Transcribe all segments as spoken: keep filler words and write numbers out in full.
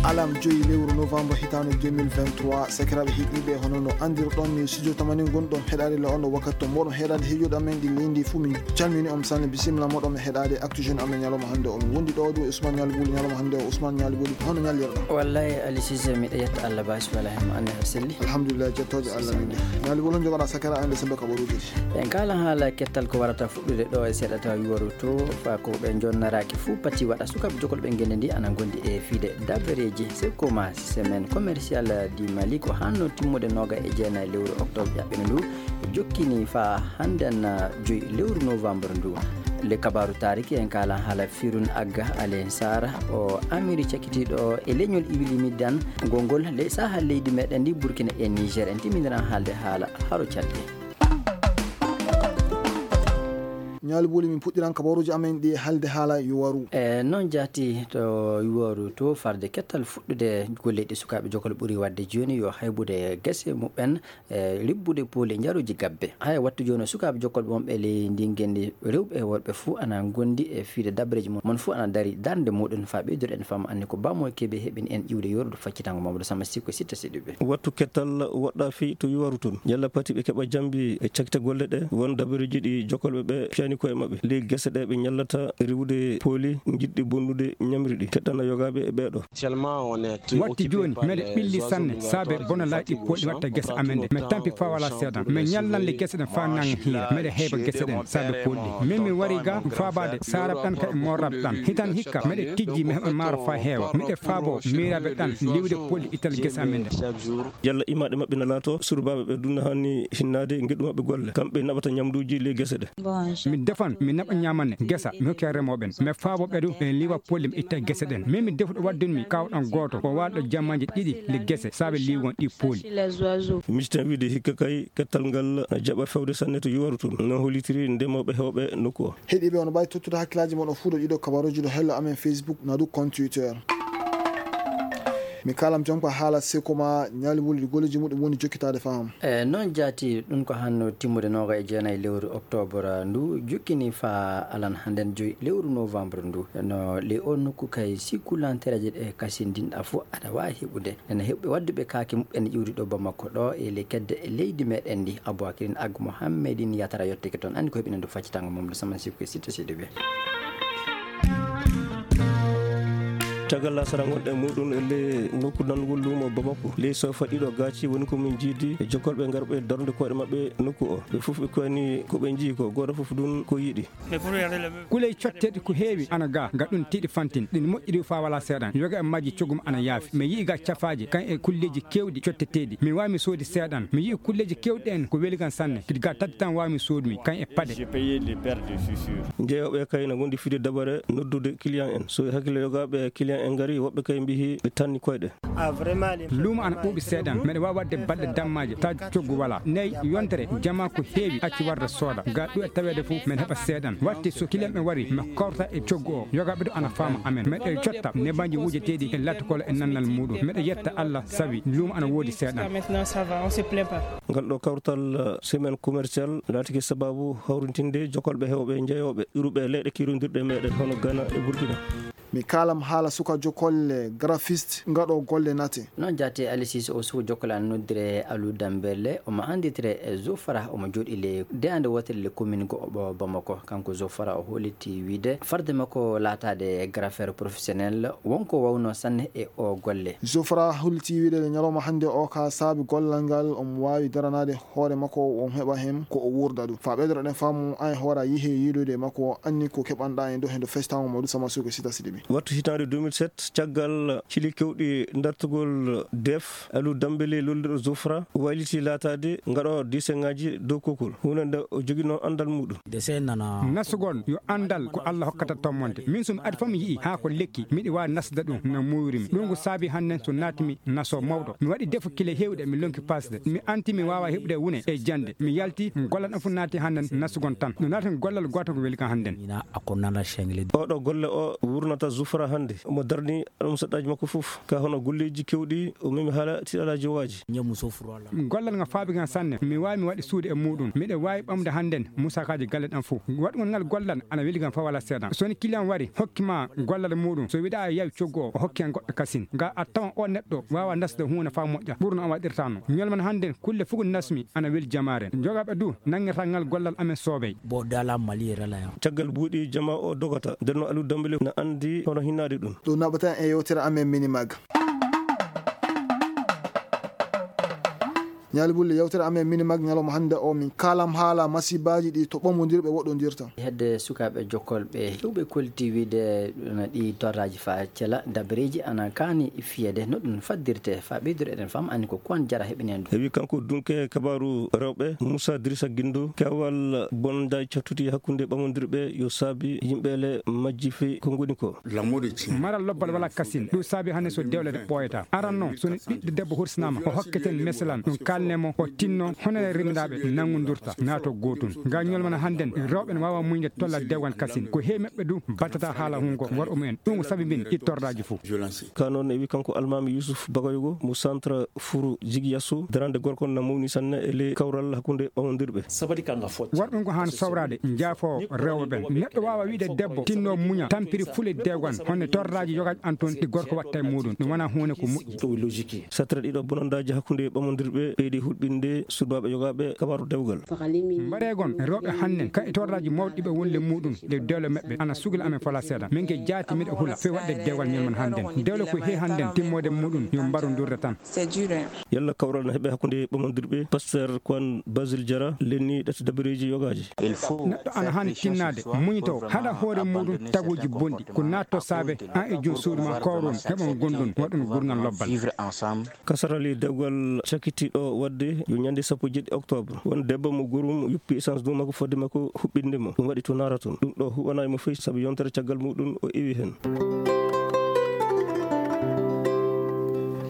Alam joyi lewru novembre hitaande deux mille vingt-trois, sakiraaɓe heɗiiɓe, hono no anndirɗon, mi studio tamani gonɗon heɗaade le on wakkati to mboɗon heɗaade heɗiiɓe amen ɗi leydi fuu. Min calmini on sanne, bisimilla moɗon heɗaade Actu Jeune amen ñalawma hannde o. Min wondi ɗo ɗo Ousmane Ñaali Buli ñalawma hannde o. Ousmane Ñaali Buli, hono ñallirɗon? Wallay, Ali Cissé, miɗo yetta Allah baasi wala heen, mo annde aɗa selli. Alhamdulillah, jettooje Allah min de. Ñaali Buli, on jogoɗaa sakiraaɓe amen ɓe sembe kabaruuji ɗi? En kaala haala kettal ko warata fuɗɗude ɗo e seeɗa tawa yuwaru to, fa ko ɓe jonnaraaki fuu pati waɗa. Sukaaɓe jokolɓe ngende ndi ana ngondi e fiide dabareeji. Sekoma semaine commerciale du Mali ko hanno timmude nooga e jeenayi lewru octobre ƴaɓɓino ndu, jokkini fa hannden joyi lewru novembre ndu. Le kabaaru taariki en kaala haala Firun Agga Alen Sara, o amiri cakkitiiɗo e leñol Iwili Middan, ngol ngol le saha leydi meɗen ndi Burkina e Niger. En timmindiran haalde haala haro calɗi. Ñaali Buli, min puɗɗiran kabaruuji amen ɗi haalde haala yuwaru. E noon jaati to yuwaru to, farde kettal fuɗɗude golleeji sukaaɓe jokol ɓuri waɗde jooni yo haybude gese muɓɓen, e ribbude pooli e njaruuji gabbe. Haya wattu jooni sukaaɓe jokol wonɓe ley ndin ngenndi rewɓe e worɓe fuu ana ngondi e fiide dabreeji mum. Mon fuu ana dari darnde muɗum fa ɓeydude en fama anni ko Bamo Kebe heɓini en iwde yorude faccitango Mamadou Sama Sikko Sitta Sidibe. Wattu kettal woɗɗa fii to yuwaru tun. Yalla pati ɓe keɓa jambi e cakte golle ɗe, won dabareeji ɗi jokolɓe ɓe piyani koye maɓɓe. Ley gese ɗe ɓe ñallata riwude pooli jiɗɗi bonnude ñamri ɗi. Keɗɗana yogaaɓe e ɓeeɗo. Watti jooni, meɗe ɓilli sanne, saabe bona laaɗi pooli watta gese amen ɗe. Me tampi faa wala seedan. Me ñallan le gese ɗen faa nanga hiira. Meɗe heɓa gese ɗen, saabe pooli ɗi. Min mi wari ga faabaade saarab ɗan ka e moorab ɗan. Hitan hikka, meɗe tijji, mi heɓa maaro faa heewa. Miɗe faabo miiraaɓe ɗan, liwde pooli ital gese amen ɗe. Yalla imaaɗe maɓɓe na laato, surbaaɓe ɓe dunna hani hinnaade ngeɗu maɓɓe golle. Kamɓe naɓata ñamduuji ley gese ɗe. Mi defan, mi naɓa ñaamane gesa, mi hokki remooɓe ɓen. Mi faabo ɓe du, ɓe liwa pooli, mi itta gese ɗen. Min mi defuɗo waddun mi kawɗan gooto, ko waalɗo jamaaji ɗiɗi le gese, saabe liwon ɗi pooli. Miciten wiide hikka kay, kettal ngal na jaɓa fewde sanne to yuwaru tun. No hollitiri ndemooɓe heewɓe nokku o. Heɗiiɓe, on mbaawi tottude hakkilaaji mon o fuu ɗo ɗiɗo kabaruuji ɗo hello amen Facebook, na du compte Twitter. Mi kaalam jonko haala Sekoma Ñaali Buli, golleeji muɗum woni jokkitaade faham. E noon jaati, ɗum ko hanno timmude nooga e jeenayi lewru octobre ndu, jokkini fa alan hannden joyi lewru novembre ndu. No ley o nokku kay, si kulantereeje ɗe kasindinɗa fof, aɗa waawi heɓude. Nana heɓɓe wadduɓe kaake muɓɓen iwri ɗo Bamako ɗo, e le kedde e leydi meɗen ndi, Aboubacrine Ag Mohammedine Yatara yottike toon. Anndi ko heɓinande faccitango mum, ɗo Saman Sikko e Sitta Sidibe. Caggal lasara gonɗe muɗum e le nokku nanngol luumo Bamako, ley sofa ɗiɗo gaaci woni ko min jiidi e jokkolɓe ngarɓe darnde koyɗe maɓɓe nokku o. Ɓe fof ɓe koyani ko ɓe njii ko, gooto fof ɗum ko yiɗi. Kuley cotteeɗi ko heewi ana ga, ga ɗum tiiɗi fantin. Ɗin moƴƴiri faa wala seeɗan. Yoga e majji cogum ana yaafi. Mi yi'i ga cafaaji, kan e kulleeji keewɗi cotteteeɗi. Mi waawi mi soodi seeɗan. Mi yi'i kulleeji keewɗi en ko weli kan sanne. Kadi ga tati tan waawi mi soodumi, kan e paɗe. Njeeyooɓe kay na ngondi fide dabare noddude client en. So e hakkille yogaaɓe client en ngari, woɓɓe kay mbihi ɓe tanni koyɗe. Luumo ana ɓuuɓi seeɗan. Meɗe waawi waɗde balɗe dammaaje, taw coggu wala. Nayi yontere, jama ko heewi acci warde sooda. Ga ɗu e taweede fof, men heɓa seeɗan. Watti so client ɓe wari, mi korta e coggu o. Yogaaɓe ɗo ana faama amen. Meɗe cotta nebanji wujeteeɗi e latkol e nannal muɗum. Meɗe yetta Allah sabi luumo ana woodi seeɗan. Ngal ɗo kawtal, eh, semaine commercial laatike sababu hawrintinde jokolɓe heewɓe njeeyooɓe ƴuruɓe leyɗe kirondirɗe meɗen hono Ghana e Burkina. Mi kaalam haala suka jokolle graphiste ngaɗo golle nate. Noon jaati Ali Cissé o suka jokolle ana noddire Aliou Dembélé, omo annditire e Zofara, omo jooɗi le deyaande wootere le commune go o Bamako. Kanko Zofara o holliti wiide farde makko laataade graffeur professionnel wonko wawno sanne e o golle. Zofara holliti wiide le ñalawma hannde o ka saabi gollal ngal omo waawi daranaade hoore makko, o heɓa heen ko o wuurda ɗum. Faa ɓeydoɗen faamu, an e hoore a yihe yiidoyde e makko, o anni ko keɓanɗa e dow heen dow festango mo ɗum sama suuko sita siɗi mi. Wattu hitaande deux mille sept, caggal cili kewɗi dartugol def, Aliou Dembélé lolluɗo Zofra wayliti laataade ngaɗo diseŋaaji dow kokol, huunde nde o joginoo anndal muɗum. Nasugol yo anndal ko Allah hokkata tommonde. Min so mi adi fof mi yi'i haa ko lekki, miɗi waawi nasda ɗum no muuyri mi. Ɗum ko saabi hannden so naati mi naso mawɗo. Mi waɗi defu kile heewɗe, mi lonki pasde. Mi anti mi waawa heɓude wune e jannde. Mi yalti, gollal am fof naati hannden nasugon tan. No naati gollal gooto ko weli kam hannden. Oɗo golle o wurnata Zufra hannde omo darni almusaɗɗaaji makko fof ka hono golleeji kewɗi, o memi haala tiɗalaaji waaji. Gollal ngal faabi ngal sanne. Mi waawi mi waɗi suude e muuɗum. Miɗo waawi ɓamde hannden musakaaji galle ɗam fof. Waɗugol ngal gollal ana weli kam fa wala seeɗa. So woni client wari hokki ma gollal muuɗum, so wiɗa a yawi coggu o, o hokki hen goɗɗo kasin. Nga a tawan o neɗɗo waawa nasde huunde fa moƴƴa. Ɓurno o waɗirta no. Ñolman hannden kulle fof ko nasmi ana weli jamaare. Jogaaɓe du nanngirta ngal gollal amen soobey. Bo dala Mali rala yan. Caggal buuɗi jama o dogata. Nden no Aliou Dembélé na anndi hono hinnaade ɗum. Ɗum naɓata e yewtere amen Minimag. Ñaali Bulli, yewtere amen Minimag ñalawma hannde o, min kaalam haala masibaaji ɗi to ɓamondirɓe woɗɗondirta. Hedde sukaaɓe jokkolɓe hewɓe kolti wiide no ɗi torraaji fa cela dabareeji ana kaani fiyede no ɗum faddirte fa ɓeydoro eɗen fam anni ko kuwan jara heɓinen ɗum. Heɓi kanko dunke kabaaru rewɓe Moussa Drissa Guindo, kewal bonda cattuti hakkunde ɓamondirɓe yo saabi yimɓe le majji fii ko ngoni ko. Maral lobbal wala kasin. Ɗum saabi hannde so dewle ɓooyata. Aran noon, so ni ɓiɗɗo debbo hursinaama, o hokketen meselan, ɗum kalne mo, o tinno, hono e rimdaaɓe nanngondurta, naato gootun. Nga ñolmana hannden, rewɓe ne waawa muñde tolla dewgal kasin. Ko heewi maɓɓe du battata haala hungo worɓe mumen. Ɗum ko sabi min ittordaaji fof. Ka noon e wi kanko Almaami Yusuf Bagoyogo mo centre Furu Jigiyassu, darande gorko na mawni sanne e ley kawral hakkunde ɓamondirɓe. Worɓe ngo haan sowraade, njaafo rewɓe ɓen. Neɗɗo waawa wiide debbo tinno muña, tampiri fule dewgan, honno torraaji yogaaji an toon ɗi gorko watta e muuɗum. Ɗum wonaa huunde ko moƴƴi. Sattere ɗiɗo bonondaaji hakkunde ɓamondirɓe ɓeydi hulɓinde surbaaɓe yogaaɓe kabaaru dewgal. Mbareegon rewɓe hannden, ka e torraaji mawɗi ɓe wonde muuɗum, ɗe dewle maɓɓe ana sugla amen fala seeɗa. Min ke jaati miɗo hula, few waɗde dewgal ñalman hannden. Dewle ko he hannden, timmoode muuɗum, yo mbaru ndurda tan. Yalla kawral na heɓe hakkunde ɓamondirɓe, Pasteur Kwan Basil Jara, lenni ɗati dabareeji yogaaji. Neɗɗo ana haani tinnaade, muñitoo, haɗa hoore muuɗum taguuji bonɗi, ko naatto saabe, an e jom suudu ma kowron, heɓon gondun, waɗun gurngal lobbal. Kasarali dewgal cakitiiɗo waɗde yo ñande sappo jeeɗiɗi octobre. Won debbo mo gorum yoppi essence dow makko fodde makko huɓɓinde mo. Ɗum waɗi to naara toon. Ɗum ɗo huɓanaay mo fey sabu yontere caggal muuɗum o iwi heen.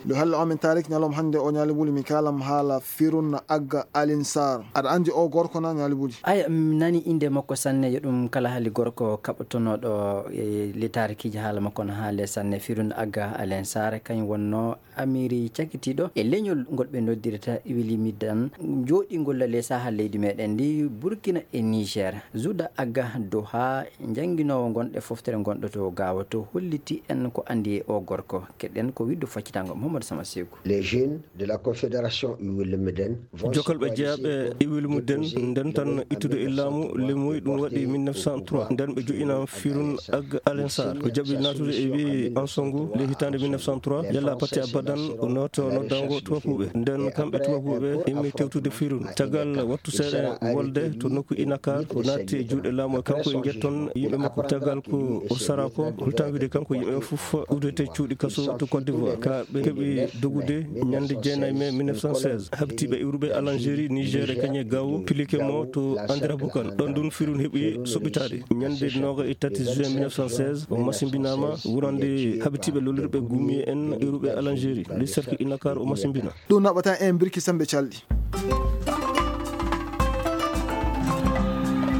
Ndu halla o min tarik ñalawma hannde o ñaali wuli mi kaalam haala Firun Agga Alin Sarr. Aɗa anndi o gorko na ñaali wuli? Aya, mi nani innde makko sanne, yo ɗum kala hali gorko kaɓotonooɗo e le tarikiiji haala makko no haale sanne. Firun Agga Alin Sarr kañum wonno Amiri cakitiiɗo e leñol ngol ɓe noddirta Iwilimidan, jooɗingol le saha leydi meɗen ndi Burkina e Niger. Zuda Agga Doha, jannginoowo ngonɗe foftere ngonɗo to Gaawo to, holliti en ko anndi e o gorko. Keɗen ko widdu faccitango Mohamed Sama Seku. Les jeunes de la Confédération Iwilimidan vont Jokalɓe jeyaaɓe Iwilimidan ndentan ittude e laamu lemoy, ɗum waɗi mille neuf cent trois. Nden ɓe joƴina Firun Agga Alensar. O jaɓi naatude e wi'i Ansongo le hitaande mille neuf cent trois. Yalla patti abadan o nooto noddango tubabuɓe. Nden kamɓe tubabuɓe immi tewtude Firun. Caggal wattu seeɗa wolde to nokku Inakar, o naatti e juuɗe laamu e kanko e njetton yimɓe makko. Caggal ko o sara ko, holtan wiide kanko yimɓe fof udete cuuɗi kaso to Côte d'Ivoire. Ka ɓe keɓi dogude ñande jeenayi mai mille neuf cent seize. Habtiiɓe iwruɓe Algérie, Niger e kañe Gao, pilike mo to Andira Bukan. Ɗon ɗun Firun heɓi soɓitaade. Ñande nooga e tati juin mille neuf cent seize, o masimbinaama wurande habtiiɓe lollirɓe gumi en iwruɓe Algérie. Ley sarki Inakar o masimbina. Ɗum naɓata en birki sembe calɗi.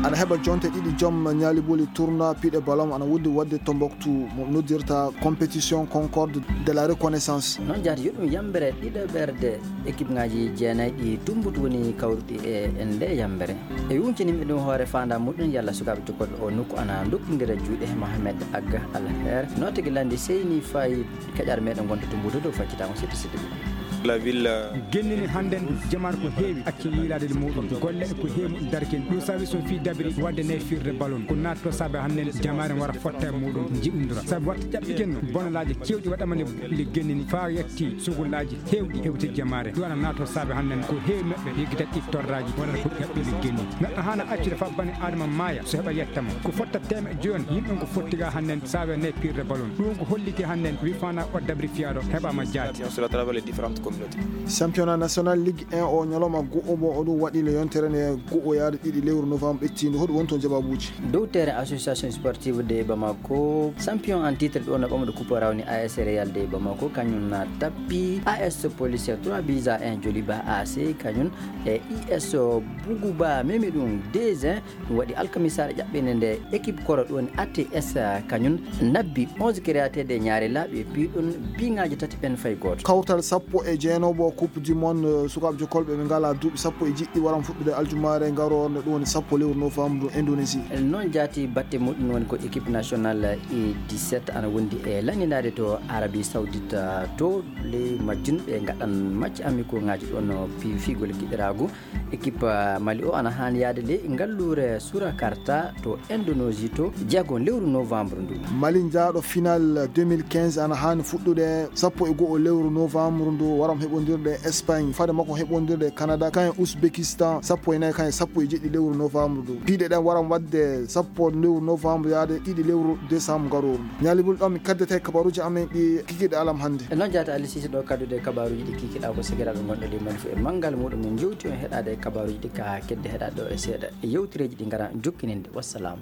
Aɗa heɓa jonte ɗiɗi joom ñaali boli tournoi piɗe ballon ana wuddi wadde Tombouctou mo noddirta compétition Concorde de la Reconnaissance. Noon jaati yo ɗum yambere ɗiɗaɓerde équipe ngaji jeenayi ɗi tumbutu woni kawruɗi e, e nde yambere. E yuncini mi ɗum hoore faanda muɗum yalla sukaaɓe jokkol o nokku ana dokkindira juuɗe Mohamed Agga Alher. Nootigi landi seyni fayi Kaƴaar meɗen gonta to Mbuuta dow faccitaama sitti sitti. La ville, euh, Gennini hannden jamaanu ko heewi acci yiilaade e muɗum. Golle ko heewi muɗum darkin. Ɗum sabi so fii dabiri wadde ne firde balon. Ko naatto saabe hannden jamaare wara fotta e muɗum jiɗindura. Sabu watta ƴaɓɓi genno bonalaaji kewɗi waɗama le, le gennini faa yetti sugulaaji heewɗi hewti jamaare. Ɗum ana naatto saabe hannden ko heewi maɓɓe yeggitat ɗi torraaji wonata ko ƴaɓɓi le genni. Neɗɗo haana accude faa bani Aadama maaya so heɓa yetta mo. Ko fotta teeme joyon yimɓe ko fotti ga hannden saabe ne pirde balon. Ɗum ko holliti hannden wi fana o dabri fiyaaɗo heɓaama jaati. Sur à travers les différentes communes. Championnat national Ligue un o ñalawma go'o mo o ɗum waɗi le yontere nde go'o yaade ɗiɗi lewru novembre ɓettiinde. Hoɗum woni toon jawabuuji? Dow terrain association sportive de Bamako, champion en titre ɗo no ɓamɗo coupe rawni A S Real de Bamako, kañum na tappi A S Police trois buts à un Joliba A C, kañum e I S Buguba memi ɗum deux un. Ɗum waɗi alkamisaare ƴaɓɓende nde équipe koro ɗum woni A T S, kañum nabbi onze créateur de ñaare laaɓi e piɗum biŋaaji tati ɓen fay gooto. Kawtal sappo e jeenoowo coupe du monde, eh, sukaaɓe jokolɓe ɓe ngalaa duuɓi sappo e jeɗɗi waran fuɗɗude aljumaare ngaroo nde ɗum woni sappo lewru novembre Indonésie. Noon jaati batte muɗum woni ko équipe nationale U dix-sept ana wondi e lanndinaade to Arabie Saoudite, to ley majjum ɓe ngaɗan match amicaux ŋaaji ɗon, pi-, fiigol giɗiraagu. Équipe, ah, Mali o ana haani yaade ley ngalluure Surakarta to Indonésie to jeego lewru novembre ndu. Mali jaaɗo final deux mille quinze ana haani fuɗɗude sappo e go'o lewru novembre ndu, waram heɓondirde Espagne, fade makko heɓondirde Canada, kañum Ouzbékistan, sappo e nayi, kañum sappo e jeɗɗi lewru novembre ndu. Piiɗe ɗen waram waɗde sappo lewru novembre yaade ɗiɗi lewru décembre garooru ndu. Ñaali Bul, ɗon mi kaddete kabaruuji amen ɗi kikiɗe alam hannde. E noon jaata Ali Sise ɗo kaddude kabaruuji ɗi kikiɗa ko segiraaɓe gonɗo ley Mali fof e manngal muɗum. Min jowti on heɗaade kabaruuji ɗi ka kedde heɗaɗo e seeɗa e yewtereeji ɗi ngara jokkininde. Wassalam.